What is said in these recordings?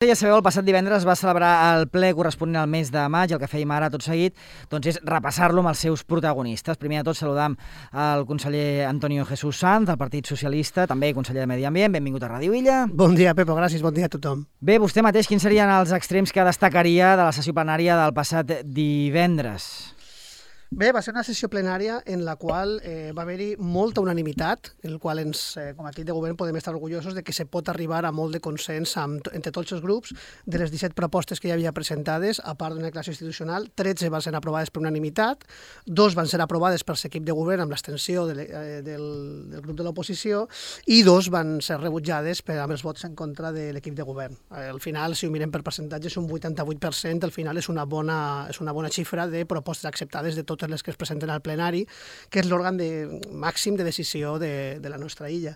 Ja sabeu, el passat divendres va celebrar el ple corresponent al mes de maig. El que fèiem ara tot seguit és repassar-lo amb els seus protagonistes. Primer de tot saludam el conseller Antonio Jesús Sanz, del Partit Socialista, també conseller de Medi Ambient. Benvingut a Ràdio Illa. Bon dia, Pepo, gràcies. Bon dia a tothom. Bé, vostè mateix, quins serien els extrems que destacaria de la sessió plenària del passat divendres? Bé, va ser una sessió plenària en la qual va haver-hi molta unanimitat, en el qual com a equip de govern podem estar orgullosos de que se pot arribar a molt de consens entre tots els grups. De les 17 propostes que hi havia presentades, a part d'una declaració institucional, 13 van ser aprovades per unanimitat, 2 van ser aprovades per l'equip de govern amb l'abstenció del grup de l'oposició i 2 van ser rebutjades amb els vots en contra de l'equip de govern. Al final, si ho mirem per percentatges, un 88%, al final és una bona xifra de propostes acceptades de totes les que es presenten al plenari, que és l'òrgan màxim de decisió de la nostra illa.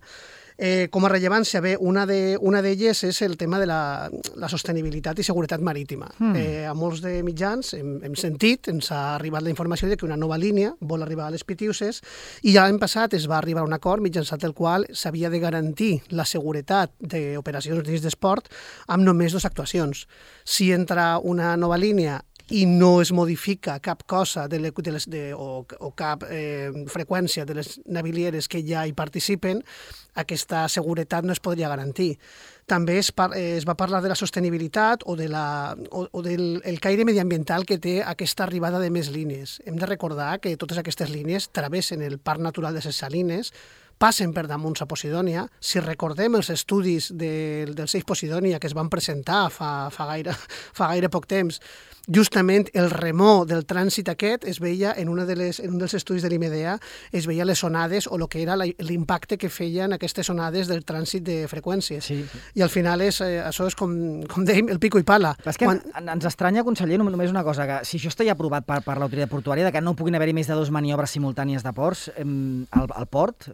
Com a rellevància, bé, una d'elles és el tema de la sostenibilitat i seguretat marítima. A molts de mitjans hem sentit, ens ha arribat la informació de que una nova línia vol arribar a les Pitiuses i ja l'any passat es va arribar a un acord mitjançant el qual s'havia de garantir la seguretat d'operacions dins d'esport amb només 2 actuacions. Si entra una nova línia i no es modifica cap cosa o cap freqüència de les navilieres que ja hi participen, aquesta seguretat no es podria garantir. També es va parlar de la sostenibilitat o del caire mediambiental que té aquesta arribada de més línies. Hem de recordar que totes aquestes línies travessen el Parc Natural de les Salines, passen per damunt a Posidònia. Si recordem els estudis del Seix Posidònia que es van presentar fa gaire poc temps, justament el remor del trànsit aquest es veia en un dels estudis de l'IMEDEA, es veia les onades o el que era l'impacte que feien aquestes onades del trànsit de freqüències. Sí. I al final això és, com dèiem, el pico i pala. És que ens estranya, conseller, només una cosa, que si això està ja aprovat per l'autoritat portuària, que no puguin haver-hi més de 2 maniobres simultànies de ports al port,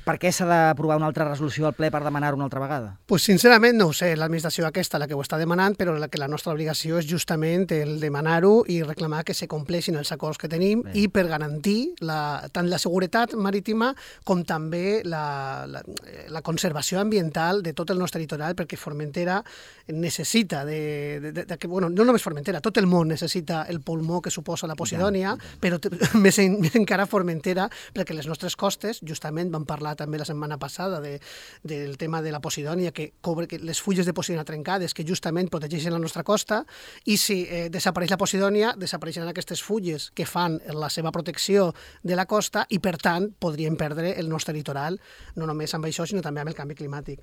per què s'ha d'aprovar una altra resolució al ple per demanar-ho una altra vegada? Pues sincerament no ho sé, l'administració aquesta la que ho està demanant, però la nostra obligació és justament el demanar-ho i reclamar que se compleixin els acords que tenim i per garantir tant la seguretat marítima com també la conservació ambiental de tot el nostre litoral, perquè Formentera necessita no només Formentera, tot el món necessita el pulmó que suposa la Posidònia, però més encara Formentera, perquè les nostres costes, justament vam parlar també la setmana passada del tema de la Posidònia, que les fulles de Posidònia trencades, que justament protegeixen la nostra costa, i si desapareix la Posidònia, desapareixen aquestes fulles que fan la seva protecció de la costa i, per tant, podríem perdre el nostre litoral, no només amb això, sinó també amb el canvi climàtic.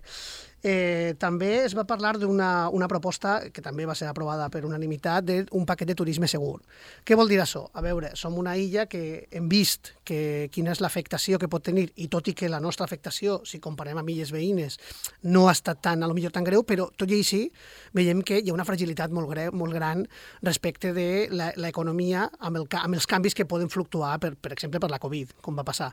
També es va parlar d'una proposta que també va ser aprovada per unanimitat d'un paquet de turisme segur. Què vol dir això? A veure, som una illa que hem vist quina és l'afectació que pot tenir, i tot i que la nostra afectació, si comparem amb illes veïnes, no ha estat potser tan greu, però tot i així veiem que hi ha una fragilitat molt gran respecte de l'economia amb els canvis que poden fluctuar, per exemple, per la Covid, com va passar.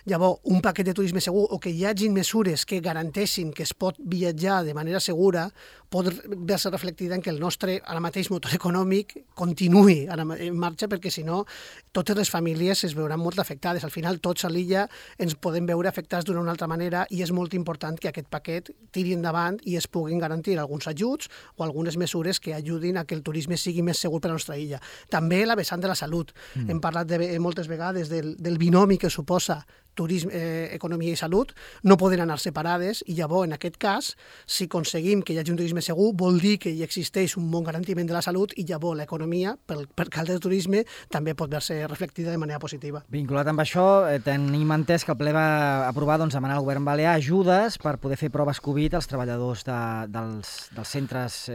Llavors, un paquet de turisme segur o que hi hagin mesures que garanteixin que es pot viatjar de manera segura pot veure-se reflectida en que el nostre, ara mateix, motor econòmic continuï en marxa, perquè si no, totes les famílies es veuran molt afectades. Al final, tots a l'illa ens podem veure afectats d'una o una altra manera i és molt important que aquest paquet tiri endavant i es puguin garantir alguns ajuts o algunes mesures que ajudin a que el turisme sigui més segur per a la nostra illa. També la vessant de la salut. Hem parlat moltes vegades del binomi que suposa turisme, economia i salut, no poden anar separades i llavors, en aquest cas, si aconseguim que hi hagi un turisme segur, vol dir que hi existeix un bon garantiment de la salut i llavors l'economia, per cal del turisme, també pot veure-se reflectida de manera positiva. Vinculat amb això, tenim entès que el ple va aprovar demanar al govern balear ajudes per poder fer proves Covid als treballadors dels centres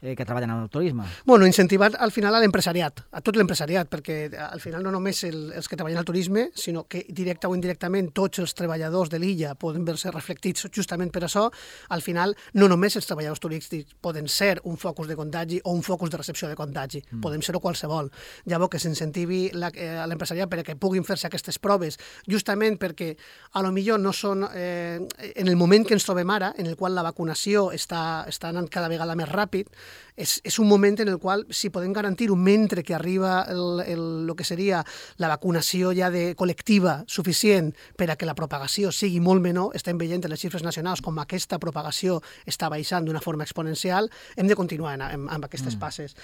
que treballen en el turisme. Bueno, incentivar al final a l'empresariat, a tot l'empresariat, perquè al final no només els que treballen al turisme, sinó que directa o indirectament tots els treballadors de l'illa poden veure-se reflectits justament per això. Al final, no només els treballadors turístics poden ser un focus de contagi o un focus de recepció de contagi, podem ser-ho qualsevol. Llavors, que s'incentivi a l'empresariat perquè puguin fer-se aquestes proves, justament perquè a lo millor no són en el moment que ens trobem ara, en el qual la vacunació està anant cada vegada més ràpid, és un moment en el qual, si podem garantir-ho mentre que arriba el que seria la vacunació ja col·lectiva suficient per a que la propagació sigui molt menor, estem veient en les xifres nacionals com aquesta propagació està baixant d'una forma forma exponencial, hem de continuar amb aquestes passes.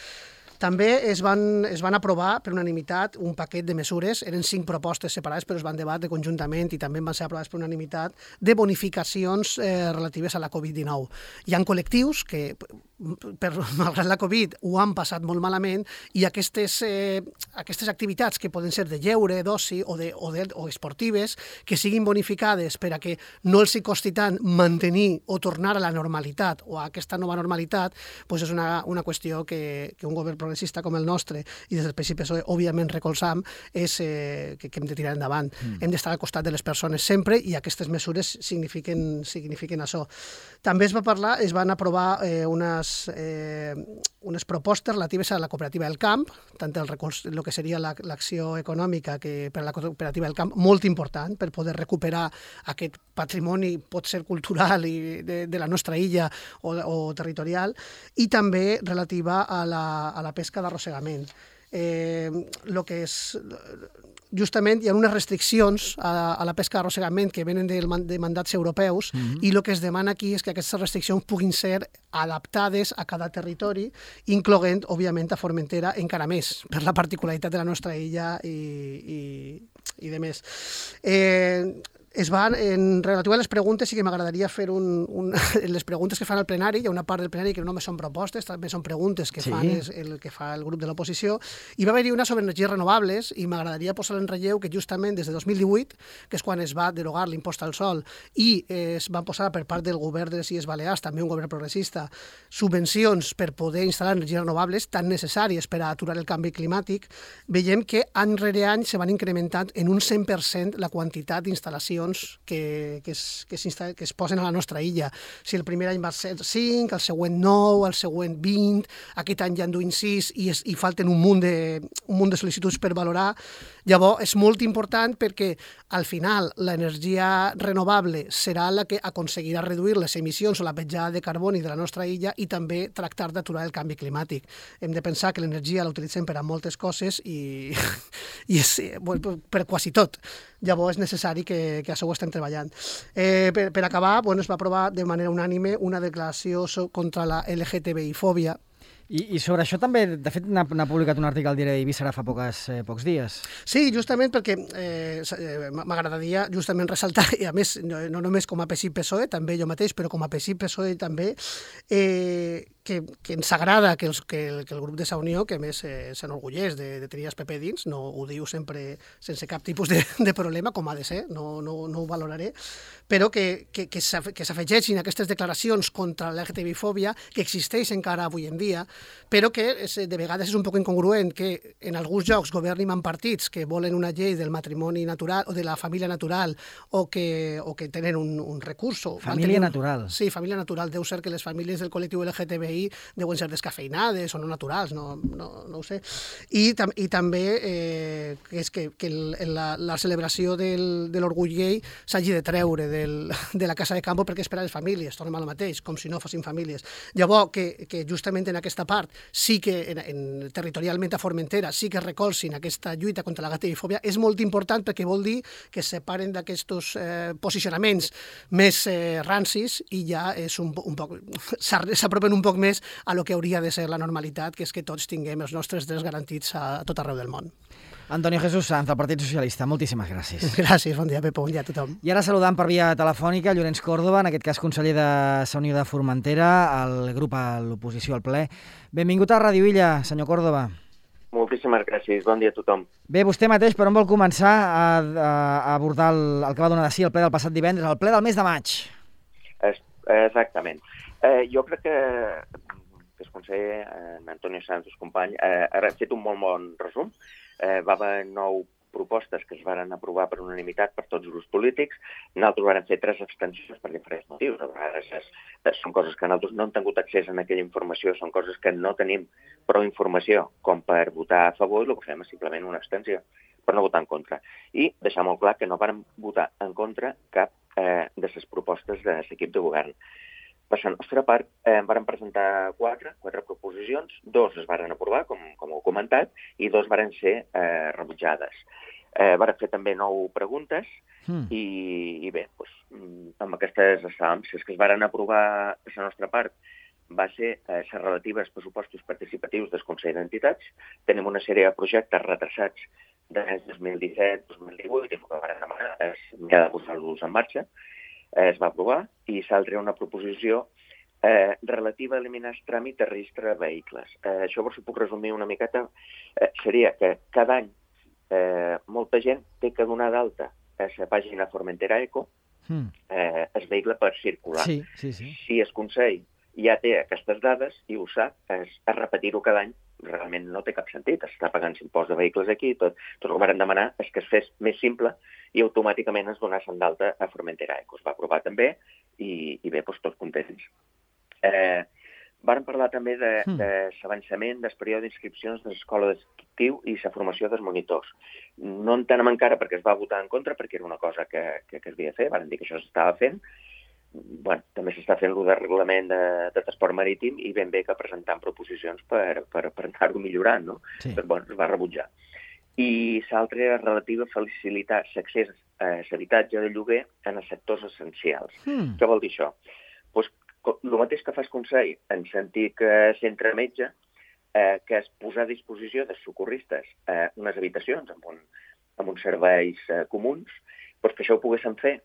També es van aprovar per unanimitat un paquet de mesures, eren 5 propostes separades, però es van debatre conjuntament i també van ser aprovades per unanimitat, de bonificacions relatives a la Covid-19. Hi ha col·lectius que, malgrat la Covid, ho han passat molt malament i aquestes activitats que poden ser de lleure, d'oci o esportives, que siguin bonificades per a que no els hi costi tant mantenir o tornar a la normalitat o a aquesta nova normalitat, doncs és una qüestió que un govern progressista com el nostre i des del PSOE, òbviament, recolzam, és que hem de tirar endavant. Hem d'estar al costat de les persones sempre i aquestes mesures signifiquen això. També es van aprovar unes propostes relatives a la cooperativa del camp, tant el que seria l'acció econòmica que per a la cooperativa del camp, molt important per poder recuperar aquest patrimoni, pot ser cultural i de la nostra illa o territorial, i també relativa a la pesca d'arrossegament. Justament hi ha unes restriccions a la pesca d'arrossegament que venen de mandats europeus i el que es demana aquí és que aquestes restriccions puguin ser adaptades a cada territori, incloent, òbviament, a Formentera encara més, per la particularitat de la nostra illa i de més. En relatiu a les preguntes, sí que m'agradaria fer les preguntes que fan al plenari. Hi ha una part del plenari que no només són propostes, també són preguntes que fa el grup de l'oposició. I va haver-hi una sobre energies renovables i m'agradaria posar en relleu que justament des de 2018, que és quan es va derogar l'impost al sol i es van posar per part del govern de les Illes Balears, també un govern progressista, subvencions per poder instal·lar energies renovables tan necessàries per a aturar el canvi climàtic, veiem que any rere any se van incrementant en un 100% la quantitat d'instal·lacions que es posen a la nostra illa. Si el primer any va ser 5, el següent 9, el següent 20, aquest any ja en duim 6 i falten un munt de sol·licituds per valorar. Llavors, és molt important perquè al final l'energia renovable serà la que aconseguirà reduir les emissions o la petjada de carboni de la nostra illa i també tractar d'aturar el canvi climàtic. Hem de pensar que l'energia la utilitzem per a moltes coses i per quasi tot. Llavors és necessari que això ho estem treballant. Per acabar, es va aprovar de manera unànime una declaració contra la LGTBI-fòbia. I sobre això també, de fet, n'ha publicat un article al diari d'Eivissa ara fa pocs dies. Sí, justament perquè m'agradaria justament ressaltar, i a més, no només com a PSI-PSOE, també jo mateix, però com a PSI-PSOE també, que ens agrada que el grup de Sa Unió, que a més s'enorgulleix de tenir els PP dins, no ho diu sempre sense cap tipus de problema, com ha de ser, no ho valoraré, però que s'afegeixin aquestes declaracions contra l'LGTBI-fòbia, que existeix encara avui en dia, però que de vegades és un poc incongruent que en alguns llocs governin amb partits que volen una llei del matrimoni natural o de la família natural o que tenen un recurs. Família natural. Sí, família natural. Deu ser que les famílies del col·lectiu LGTBI deuen ser descafeinades o no naturals, no ho sé. I també que la celebració de l'orgull gay s'hagi de treure de la Casa de Campo perquè és per a les famílies, tornem al mateix, com si no fossin famílies. Llavors, que justament en aquesta part sí que territorialment a Formentera sí que recolzin aquesta lluita contra la LGTBI-fòbia és molt important perquè vol dir que es separen d'aquests posicionaments més rancis i ja és un poc s'apropen un poc més a lo que hauria de ser la normalitat, que és que tots tinguem els nostres drets garantits a tot arreu del món. Antonio Jesús Sanz, del Partit Socialista, moltíssimes gràcies. Gràcies, bon dia, Pepo, bon dia a tothom. I ara saludant per via telefònica Llorenç Córdoba, en aquest cas conseller de Sa Unió de Formentera, el grup a l'oposició al ple. Benvingut a Ràdio Illa, senyor Córdoba. Moltíssimes gràcies, bon dia a tothom. Bé, vostè mateix, per on vol començar a abordar el que va donar de si el ple del passat divendres, el ple del mes de maig? Exactament. Jo crec que el conseller Antonio Sanz, company, ha fet un molt bon resum. Va haver 9 propostes que es van aprovar per unanimitat per tots els grups polítics. Nosaltres vam fer 3 abstencions per diferents motius. A vegades són coses que nosaltres no hem tingut accés a aquella informació, són coses que no tenim prou informació com per votar a favor, i el que fem és simplement una abstenció, per no votar en contra. I deixar molt clar que no vam votar en contra cap de les propostes de l'equip de govern. Per la nostra part, vam presentar 4 proposicions, 2 es van aprovar, com heu comentat, i 2 van ser rebutjades. Vam fer també 9 preguntes i bé, amb aquestes estàvem. Si és que es van aprovar per la nostra part va ser la relativa als pressupostos participatius del Consell d'Entitats. Tenim una sèrie de projectes retrasats des del 2017-2018 i el que vam demanar és mirar de posar-los en marxa. Es va aprovar i s'altra una proposició relativa a eliminar el tràmit de registre de vehicles. Això, si puc resumir una miqueta, seria que cada any molta gent té que donar d'alta a la pàgina Formentera Eco el vehicle per circular. Sí. Si el Consell ja té aquestes dades i ho sap, a repetir-ho cada any realment no té cap sentit. Està pagant l'impost de vehicles aquí, tot el que vam demanar és que es fes més simple i automàticament es donessin d'alta a Formentera Eco. Es va aprovar també i bé, tots contents. Vàrem parlar també de l'avançament del període d'inscripcions de l'escola d'estiu i la formació dels monitors. No entenem encara perquè es va votar en contra, perquè era una cosa que es havia de fer, vàrem dir que això s'estava fent. Bueno, també s'està fent el reglament de transport marítim i ben bé que presentant proposicions per anar-ho millorant, no? Sí. Però, bueno, es va rebutjar. I l'altra era relativa a facilitar l'accés a l'habitatge de lloguer en els sectors essencials. Què vol dir això? Pues, el mateix que fa el Consell en sentit que centre metge, que és posar a disposició dels socorristes unes habitacions amb uns serveis comuns, doncs que això ho poguessin fer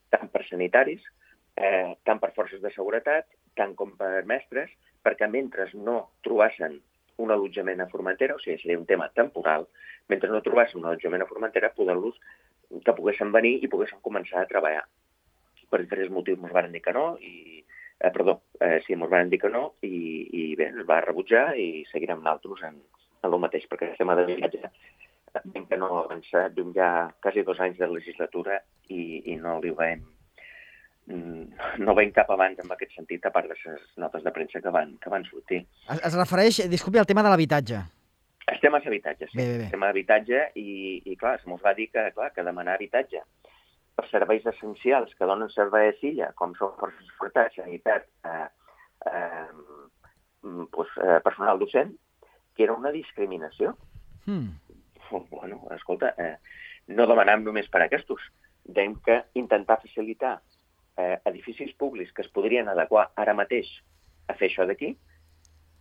tant per sanitaris, tant per forces de seguretat, tant com per mestres, perquè mentre no trobassin un allotjament a Formentera, o sigui, seria un tema temporal, mentre no trobassin un allotjament a Formentera, que poguessin venir i poguessin començar a treballar. Per diferents motius ens van dir que no, ens van dir que no i bé, es va rebutjar i seguirem nosaltres en el mateix, perquè el tema de viatge, que no ha avançat, duim ja quasi 2 anys de legislatura i no li veiem cap abans en aquest sentit, a part de les notes de premsa que van sortir. Es refereix, disculpi, al tema de l'habitatge. El tema és habitatge, sí. Bé. El tema d'habitatge i clar, se'ns va dir que demanar habitatge per serveis essencials que donen servei a l'illa, com són forces de seguretat, sanitat, personal docent, que era una discriminació. Bueno, escolta, no demanàvem només per a aquests. Dèiem que intentar facilitar edificis públics que es podrien adequar ara mateix a fer això d'aquí,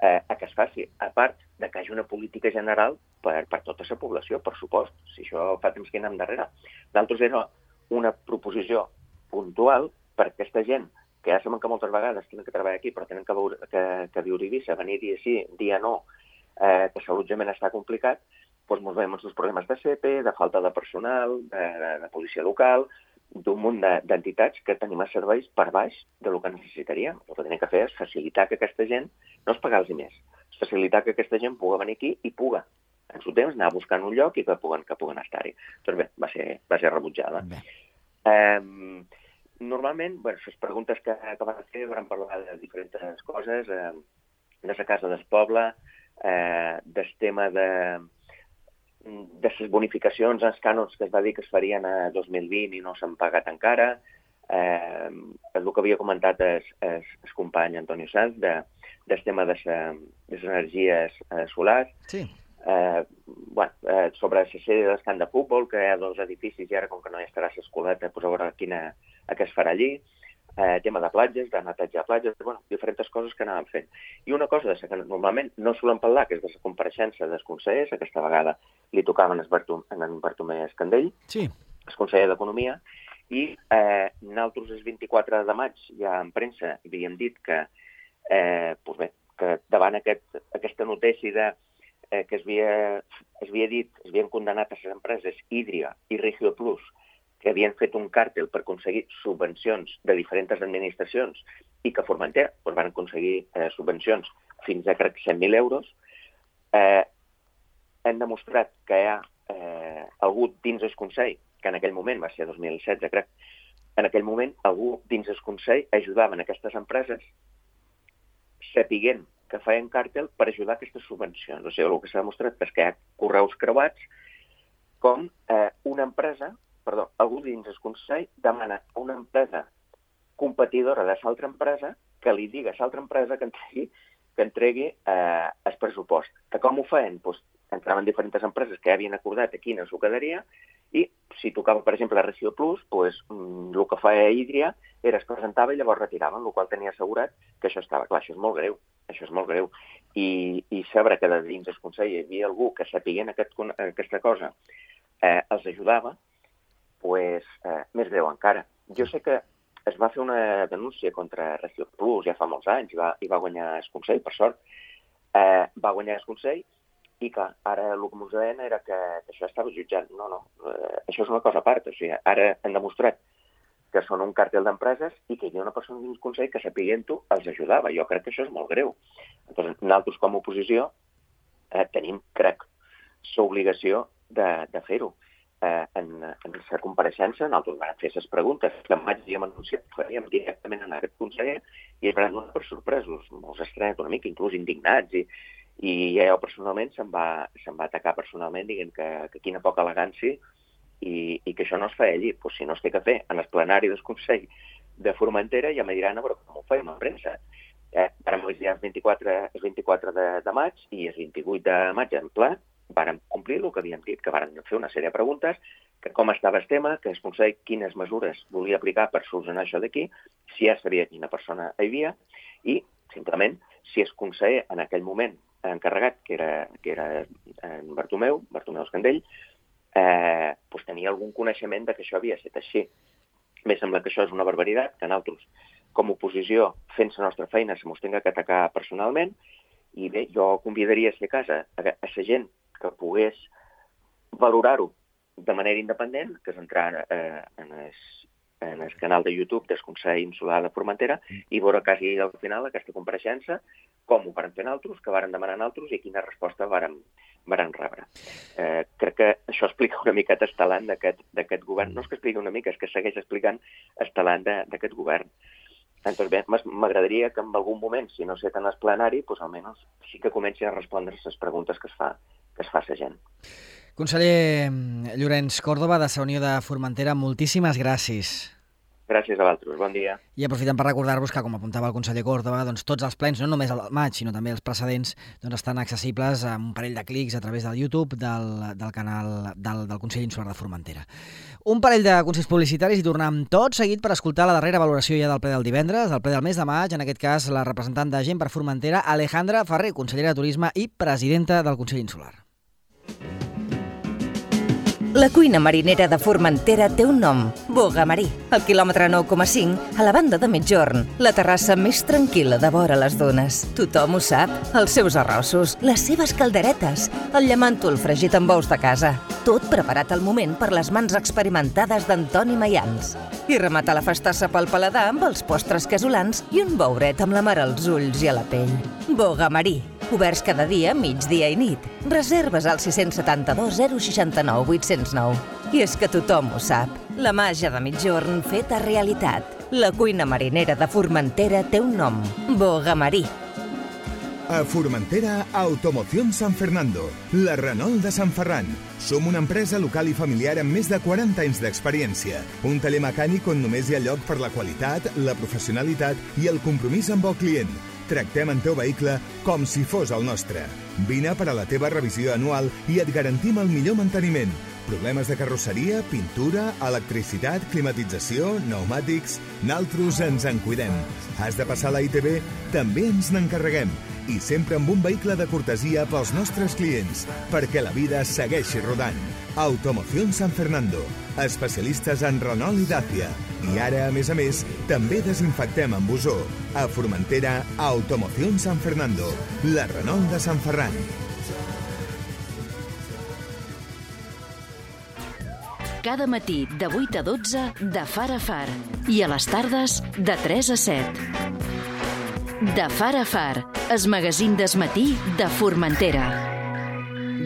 a que es faci, a part de que hi hagi una política general per tota la població, per supost, si això fa temps que anem darrere. D'altres era una proposició puntual per aquesta gent que ja sabem que moltes vegades tenen que treballar aquí però tenen que viure a Eivissa, venir dia sí, dia no, que l'allotjament està complicat, doncs ens veiem els problemes de CEPE, de falta de personal, de policia local, d'un munt d'entitats que tenim els serveis per baix del que necessitaríem. El que tenim que fer és facilitar que aquesta gent, no és pagar-los més, és facilitar que aquesta gent pugui venir aquí i pugui, en su temps, anar buscant un lloc i que puguen estar-hi. Doncs bé, va ser rebutjada. Normalment, les preguntes que van fer van parlar de diferents coses, de la casa del poble, del tema de les bonificacions, els cànons que es va dir que es farien a 2020 i no s'han pagat encara, el que havia comentat el company Antonio Sanz del tema de les energies solars, sobre la sèrie del camp de futbol, que hi ha 2 edificis i ara com que no hi estarà l'escoleta, a veure a què es farà allí, tema de platges, de netejar platges, diferents coses que anàvem fent. I una cosa que normalment no solen parlar, que és de la compareixença dels consellers, aquesta vegada li tocava en Bartomeu Escandell, el conseller d'Economia, i nosaltres el 24 de maig ja en premsa havíem dit que davant aquesta notícia que es havien condemnat a les empreses Hydria i Regio Plus, que havien fet un càrtel per aconseguir subvencions de diferents administracions i que a Formentera van aconseguir subvencions fins a, crec, 100.000 euros, hem demostrat que hi ha algú dins el Consell, que en aquell moment va ser 2016, crec, en aquell moment algú dins el Consell ajudava aquestes empreses sapiguent que feien càrtel per ajudar aquestes subvencions. O sigui, el que s'ha demostrat és que hi ha correus creuats com algú dins el Consell demana a una empresa competidora de l'altra empresa que li digui a l'altra empresa que entregui el pressupost. Que com ho feien? Entraven diferents empreses que ja havien acordat a quina s'ho quedaria i si tocava, per exemple, Regió Plus, doncs, el que feia Hídria era es presentava i llavors retiraven, el qual tenia assegurat que això estava. Clar, això és molt greu. I saber que de dins del Consell hi havia algú que sapiguent aquesta cosa els ajudava, doncs més greu encara. Jo sé que es va fer una denúncia contra Regió Plus ja fa molts anys i va guanyar el Consell, per sort. Va guanyar el Consell i que ara el que ens deien era que això estava jutjat. No, això és una cosa a part. O sigui, ara han demostrat que són un càrtel d'empreses i que hi havia una persona dins del Consell que sapiguent-ho els ajudava. Jo crec que això és molt greu. Llavors, nosaltres com a oposició tenim, crec, l'obligació de fer-ho. En la compareixença, nosaltres vam fer les preguntes que en maig havíem anunciat que faríem directament en aquest conseller i es van donar per sorpresos, molts estranyats una mica, inclús indignats, i jo personalment se'm va atacar personalment dient que quina poca elegància i que això no es feia allí. Pues si no es té que fer en el plenari del Consell de Formentera ja me diran a veure com ho feim a premsa. Ara m'ho dir el 24 de maig i el 28 de maig en ple vàrem complir el que havíem dit, que vàrem fer una sèrie de preguntes, que com estava el tema, que el Consell quines mesures volia aplicar per solucionar això d'aquí, si ja sabia quina persona hi havia, i simplement si el Consell en aquell moment encarregat, que era en Bartomeu Escandell, doncs tenia algun coneixement de que això havia estat així. M'he sembla que això és una barbaritat, que nosaltres, com a oposició, fent la nostra feina, se mos tinga que atacar personalment, i bé, jo convidaria, si a casa, a la gent que pogués valorar-ho de manera independent, que és entrar en el canal de YouTube del Consell Insular de Formentera i veure quasi al final aquesta compareixença, com ho varen fer nosaltres, que varen demanar nosaltres i quina resposta varen rebre. Crec que això explica una miqueta el talent d'aquest govern. No és que expliqui una mica, és que segueix explicant el talent d'aquest govern. Doncs bé, m'agradaria que en algun moment, si no sé tant el plenari, doncs almenys sí que comenci a respondre les preguntes que es fa la gent. Conseller Llorenç Córdoba, de la Unió de Formentera, moltíssimes gràcies. Gràcies a vosaltres, bon dia. I aprofitem per recordar-vos que, com apuntava el conseller Córdoba, doncs tots els plens, no només el maig, sinó també els precedents, doncs estan accessibles amb un parell de clics a través del YouTube del canal del Consell Insular de Formentera. Un parell de consells publicitaris i tornem tot seguit per escoltar la darrera valoració ja del ple del divendres, del ple del mes de maig, en aquest cas la representant de Gent per Formentera, Alejandra Ferrer, consellera de Turisme i presidenta del Consell Insular. La cuina marinera de Formentera té un nom, Boga Marí. Al quilòmetre 9,5, a la banda de Migjorn, la terrassa més tranquil·la de vora les dunes. Tothom ho sap, els seus arrossos, les seves calderetes, el llamàntol fregit amb ous de casa. Tot preparat al moment per les mans experimentades d'Antoni Mayans. I remata la festassa pel paladar amb els postres casolans i un bouret amb la mar als ulls i a la pell. Boga Marí. Oberts cada dia, migdia i nit. Reserves al 672 069 809. I és que tothom ho sap. La màgia de Migjorn feta realitat. La cuina marinera de Formentera té un nom. Boga Marí. A Formentera, Automoción San Fernando, la Renault de Sant Ferran. Som una empresa local i familiar amb més de 40 anys d'experiència. Un taller mecànic on només hi ha lloc per la qualitat, la professionalitat i el compromís amb el client. Tractem el teu vehicle com si fos el nostre. Vine per a la teva revisió anual i et garantim el millor manteniment. Problemes de carrosseria, pintura, electricitat, climatització, pneumàtics... Naltros ens en cuidem. Has de passar a la ITV? També ens n'encarreguem. I sempre amb un vehicle de cortesia pels nostres clients, perquè la vida segueixi rodant. Automoción San Fernando. Especialistes en Renault i Dacia. I ara, a més, també desinfectem amb ozó. A Formentera, Automoción San Fernando. La Renault de Sant Ferran. Cada matí de 8 a 12 de Far a Far i a les tardes de 3 a 7. De Far a Far, el magazín des matí de Formentera.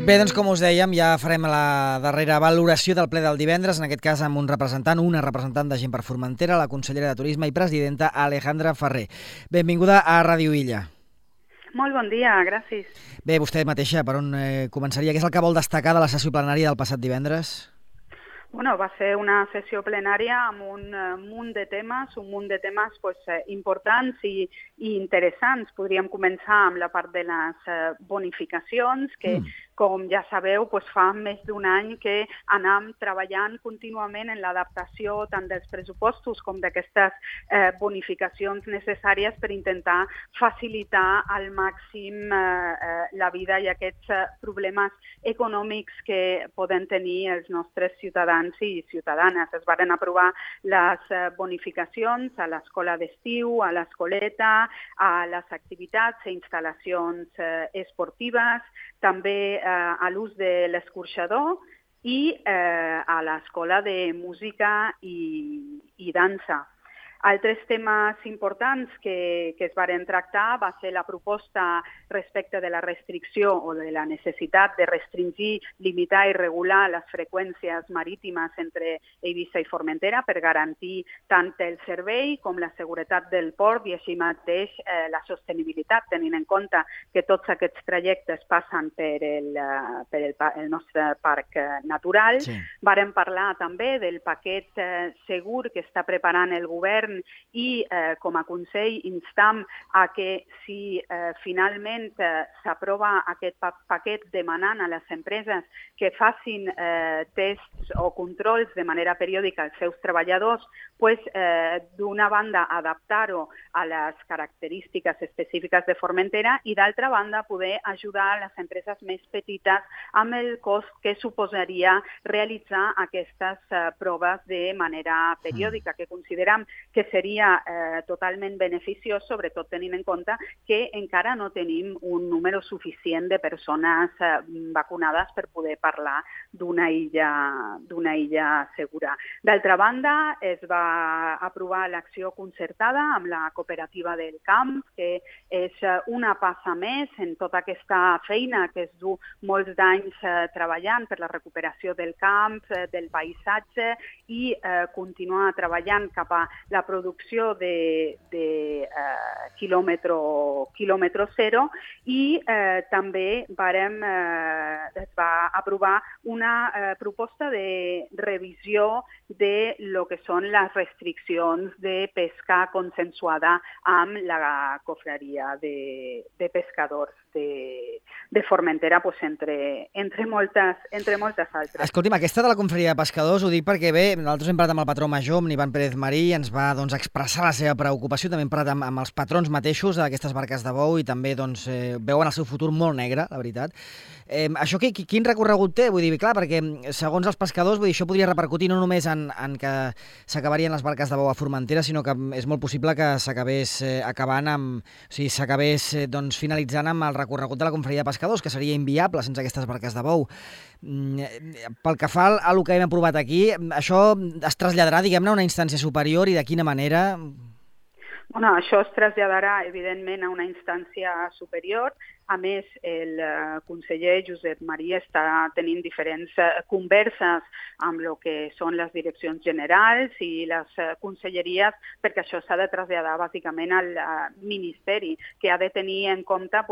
Bé, doncs com us dèiem, ja farem la darrera valoració del ple del divendres, en aquest cas amb una representant de Gent per Formentera, la consellera de Turisme i presidenta Alejandra Ferrer. Benvinguda a Ràdio Illa. Molt bon dia, gràcies. Bé, vostè mateixa, per on començaria? Què és el que vol destacar de la sessió plenària del passat divendres? Bueno, va ser una sessió plenària amb un munt de temes importants i interessants. Podríem començar amb la part de les bonificacions, que, com ja sabeu, fa més d'un any que anem treballant contínuament en l'adaptació tant dels pressupostos com d'aquestes bonificacions necessàries per intentar facilitar al màxim la vida i aquests problemes econòmics que poden tenir els nostres ciutadans i ciutadanes. Es varen aprovar les bonificacions a l'escola d'estiu, a l'escoleta, a les activitats i instal·lacions esportives, també a l'ús de l'escorxador i a l'escola de música i dansa. Altres temes importants que es varen tractar va ser la proposta respecte de la restricció o de la necessitat de restringir, limitar i regular les freqüències marítimes entre Eivissa i Formentera per garantir tant el servei com la seguretat del port i així mateix la sostenibilitat, tenint en compte que tots aquests trajectes passen per el nostre parc natural. Sí. Varen parlar també del paquet segur que està preparant el govern i com a Consell instam a que si finalment s'aprova aquest paquet demanant a les empreses que facin tests o controls de manera periòdica als seus treballadors, d'una banda adaptar-ho a les característiques específiques de Formentera i d'altra banda poder ajudar a les empreses més petites amb el cost que suposaria realitzar aquestes proves de manera periòdica, que considerem que seria totalment beneficiós, sobretot tenint en compte que encara no tenim un número suficient de persones vacunades per poder parlar d'una illa segura. D'altra banda, es va aprovar l'acció concertada amb la cooperativa del camp, que és una passa més en tota aquesta feina que es du molts d'anys treballant per la recuperació del camp, del paisatge i continuar treballant cap a la producció de quilòmetre zero i també es va aprovar una proposta de revisió de lo que són les restriccions de pesca consensuada amb la cofraria de pescadors de Formentera, entre moltes altres. Escolti'm, aquesta de la confraria de pescadors ho dic perquè bé, nosaltres hem parlat amb el patró major, amb l'Ivan Pérez Marí, ens va expressar la seva preocupació, també hem parlat amb els patrons mateixos d'aquestes barques de bou i també veuen el seu futur molt negre, la veritat. Això quin recorregut té? Vull dir, clar, perquè segons els pescadors, això podria repercutir no només en que s'acabarien les barques de bou a Formentera, sinó que és molt possible que s'acabés finalitzant amb el recorregut de la confraria de pescadors, que seria inviable sense aquestes barques de bou. Pel que fa al que hem aprovat aquí, això es traslladarà, diguem-ne, a una instància superior i de quina manera? Això es traslladarà, evidentment, a una instància superior. A més, el conseller Josep Maria està tenint diferents converses amb el que són les direccions generals i les conselleries, perquè això s'ha de traslladar bàsicament al Ministeri, que ha de tenir en compte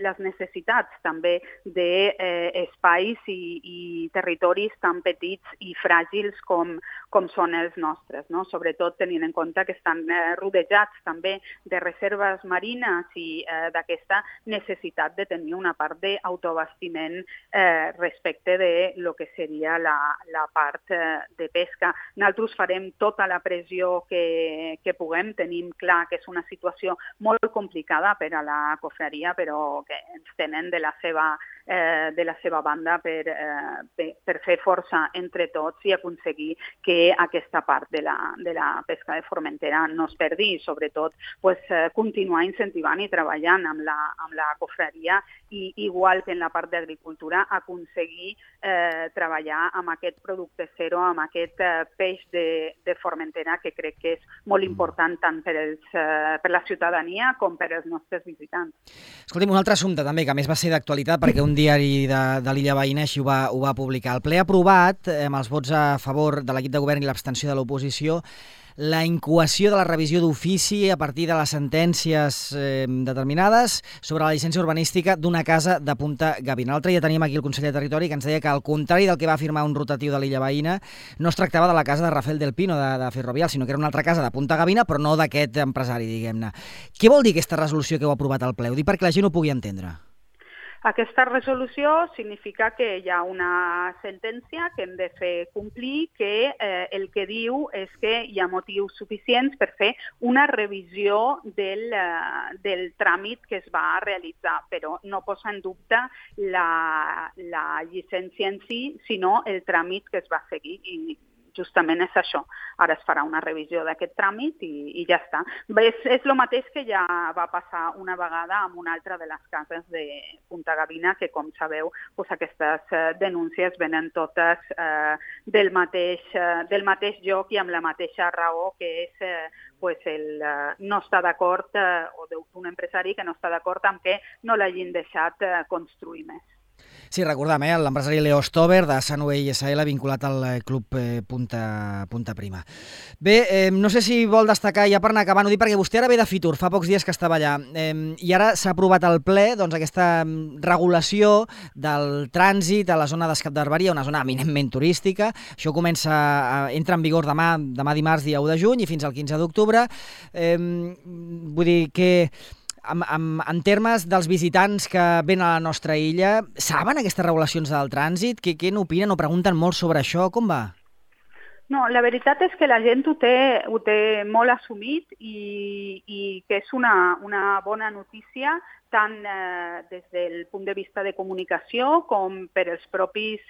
les necessitats també d'espais i territoris tan petits i fràgils com són els nostres, no? Sobretot tenint en compte que estan rodejats també de reserves marines i d'aquesta necessitat de tenir una part d'autoabastiment respecte de lo que seria la part de pesca. Nosaltres farem tota la pressió que puguem. Tenim clar que és una situació molt complicada per a la cofraria, però que ens tenen de la seva banda per fer força entre tots i aconseguir que aquesta part de la pesca de Formentera no es perdi, sobretot continuar incentivant i treballant amb la cofraria i, igual que en la part d'agricultura, aconseguir treballar amb aquest producte zero, amb aquest peix de Formentera, que crec que és molt important tant per la ciutadania com per als nostres visitants. Escolti'm, un altre assumpte també, que a més va ser d'actualitat perquè un diari de l'illa veïna així ho va publicar. El ple ha aprovat, amb els vots a favor de l'equip de govern i l'abstenció de l'oposició, la incoació de la revisió d'ofici a partir de les sentències determinades sobre la llicència urbanística d'una casa de Punta Gavina. L'altre dia teníem aquí el conseller de Territori que ens deia que, al contrari del que va afirmar un rotatiu de l'illa veïna, no es tractava de la casa de Rafael del Pino, de Ferrovial, sinó que era una altra casa de Punta Gavina, però no d'aquest empresari, diguem-ne. Què vol dir aquesta resolució que heu aprovat al ple? Ho dic perquè la gent ho pugui entendre. Aquesta resolució significa que hi ha una sentència que hem de fer complir, que el que diu és que hi ha motius suficients per fer una revisió del tràmit que es va realitzar, però no posa en dubte la llicència en si, sinó el tràmit que es va seguir, i justament és això. Ara es farà una revisió d'aquest tràmit i ja està. És el mateix que ja va passar una vegada amb una altra de les cases de Punta Gavina, que, com sabeu, aquestes denúncies venen totes del mateix lloc i amb la mateixa raó, que és el no estar d'acord, o d'un empresari que no està d'acord amb que no l'hagin deixat construir més. Sí, recordem, l'empresari Leo Stover, de Sunway SL, vinculat al club Punta Prima. Bé, no sé si vol destacar, ja per anar acabant, ho dic perquè vostè ara ve de Fitur, fa pocs dies que estava allà, i ara s'ha aprovat al ple aquesta regulació del trànsit a la zona d'Escap de Barberia, una zona eminentment turística. Això entra en vigor demà dimarts, dia 1 de juny, i fins al 15 d'octubre. Vull dir que en termes dels visitants que venen a la nostra illa, saben aquestes regulacions del trànsit? Què n'opinen o pregunten molt sobre això? Com va? No, la veritat és que la gent ho té molt assumit i que és una bona notícia, tant des del punt de vista de comunicació com per els propis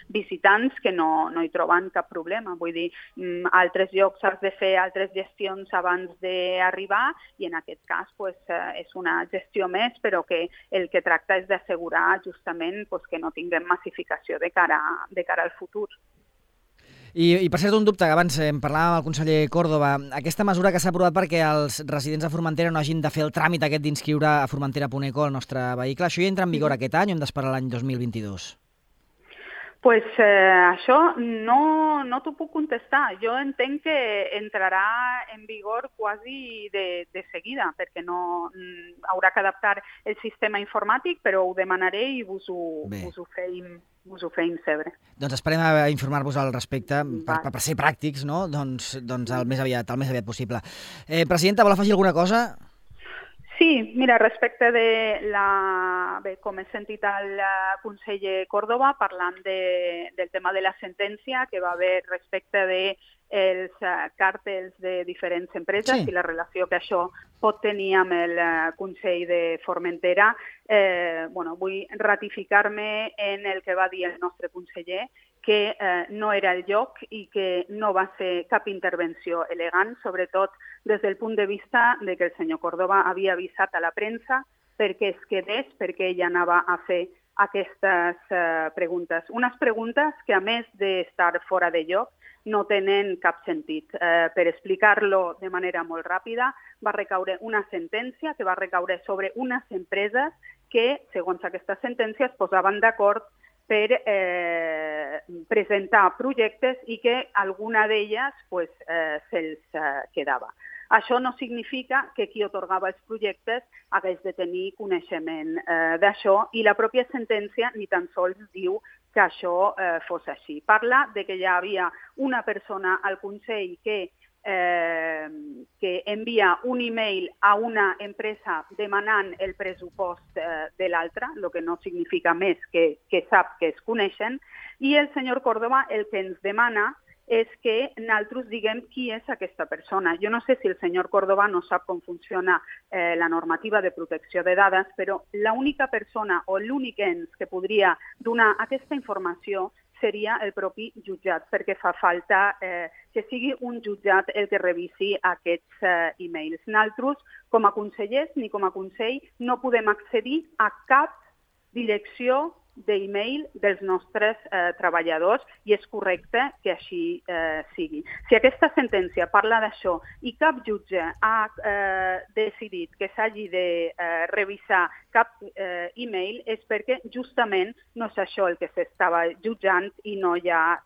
visitants, que no hi troben cap problema. Vull dir, altres llocs has de fer altres gestions abans d'arribar, i en aquest cas és una gestió més, però que el que tracta és d'assegurar justament que no tinguem massificació de cara al futur. I per cert, un dubte, que abans parlàvem amb el conseller Córdoba, aquesta mesura que s'ha aprovat perquè els residents de Formentera no hagin de fer el tràmit aquest d'inscriure a Formentera.eco el nostre vehicle, això ja entra en vigor aquest any o hem d'esperar l'any 2022? Això no t'ho puc contestar. Jo entenc que entrarà en vigor quasi de seguida, perquè no haurà que adaptar el sistema informàtic, però ho demanaré i vos ho feim saber. Doncs esperem a informar-vos al respecte per ser pràctics, no? Doncs el més aviat possible. Presidenta, vol afegir alguna cosa? Sí, mira, respecte de com he sentit el conseller Córdoba parlant del tema de la sentència que va haver respecte dels càrtels de diferents empreses i la relació que això pot tenir amb el Consell de Formentera, vull ratificar-me en el que va dir el nostre conseller, que no era el lloc i que no va ser cap intervenció elegant, sobretot des del punt de vista de que el senyor Córdoba havia avisat a la premsa perquè es quedés, perquè ella anava a fer aquestes preguntes. Unes preguntes que, a més d'estar fora de lloc, no tenen cap sentit. Per explicar-lo de manera molt ràpida, va recaure una sentència que va recaure sobre unes empreses que, segons aquesta sentència, es posaven d'acord per presentar projectes i que alguna d'elles se'ls quedava. Això no significa que qui atorgava els projectes hagués de tenir coneixement d'això, i la pròpia sentència ni tan sols diu que això fos així. Parla de que ja havia una persona al Consell que envia un e-mail a una empresa demanant el pressupost de l'altra, el que no significa més que sap que es coneixen, i el senyor Córdoba el que ens demana és que nosaltres diguem qui és aquesta persona. Jo no sé si el senyor Córdoba no sap com funciona la normativa de protecció de dades, però l'única persona o l'únic ens que podria donar aquesta informació seria el propi jutjat, perquè fa falta que sigui un jutjat el que revisi aquests e-mails. Nosaltres, com a consellers ni com a Consell, no podem accedir a cap direcció d'e-mail dels nostres treballadors, i és correcte que així sigui. Si aquesta sentència parla d'això i cap jutge ha decidit que s'hagi de revisar cap e-mail, és perquè justament no és això el que s'estava jutjant i no hi ha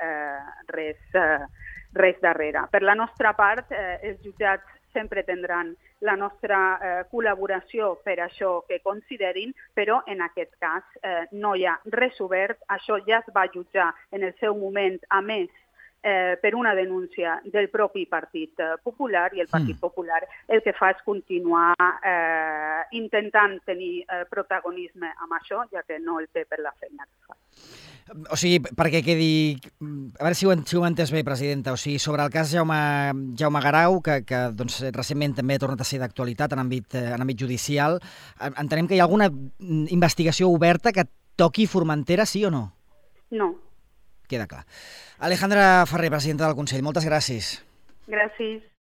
res darrere. Per la nostra part, els jutjats sempre tindran la nostra col·laboració per això que considerin, però en aquest cas no hi ha res obert. Això ja es va jutjar en el seu moment, a més per una denúncia del propi Partit Popular, i el Partit Popular el que fa és continuar intentant tenir protagonisme amb això, ja que no el té per la feina que fa. O sigui, perquè quedi... A veure si ho he entès bé, presidenta. O sigui, sobre el cas Jaume Garau, que doncs, recentment també ha tornat a ser d'actualitat en àmbit judicial, entenem que hi ha alguna investigació oberta que toqui Formentera, sí o no? No. Queda clar. Alejandra Ferrer, presidenta del Consell, moltes gràcies. Gràcies.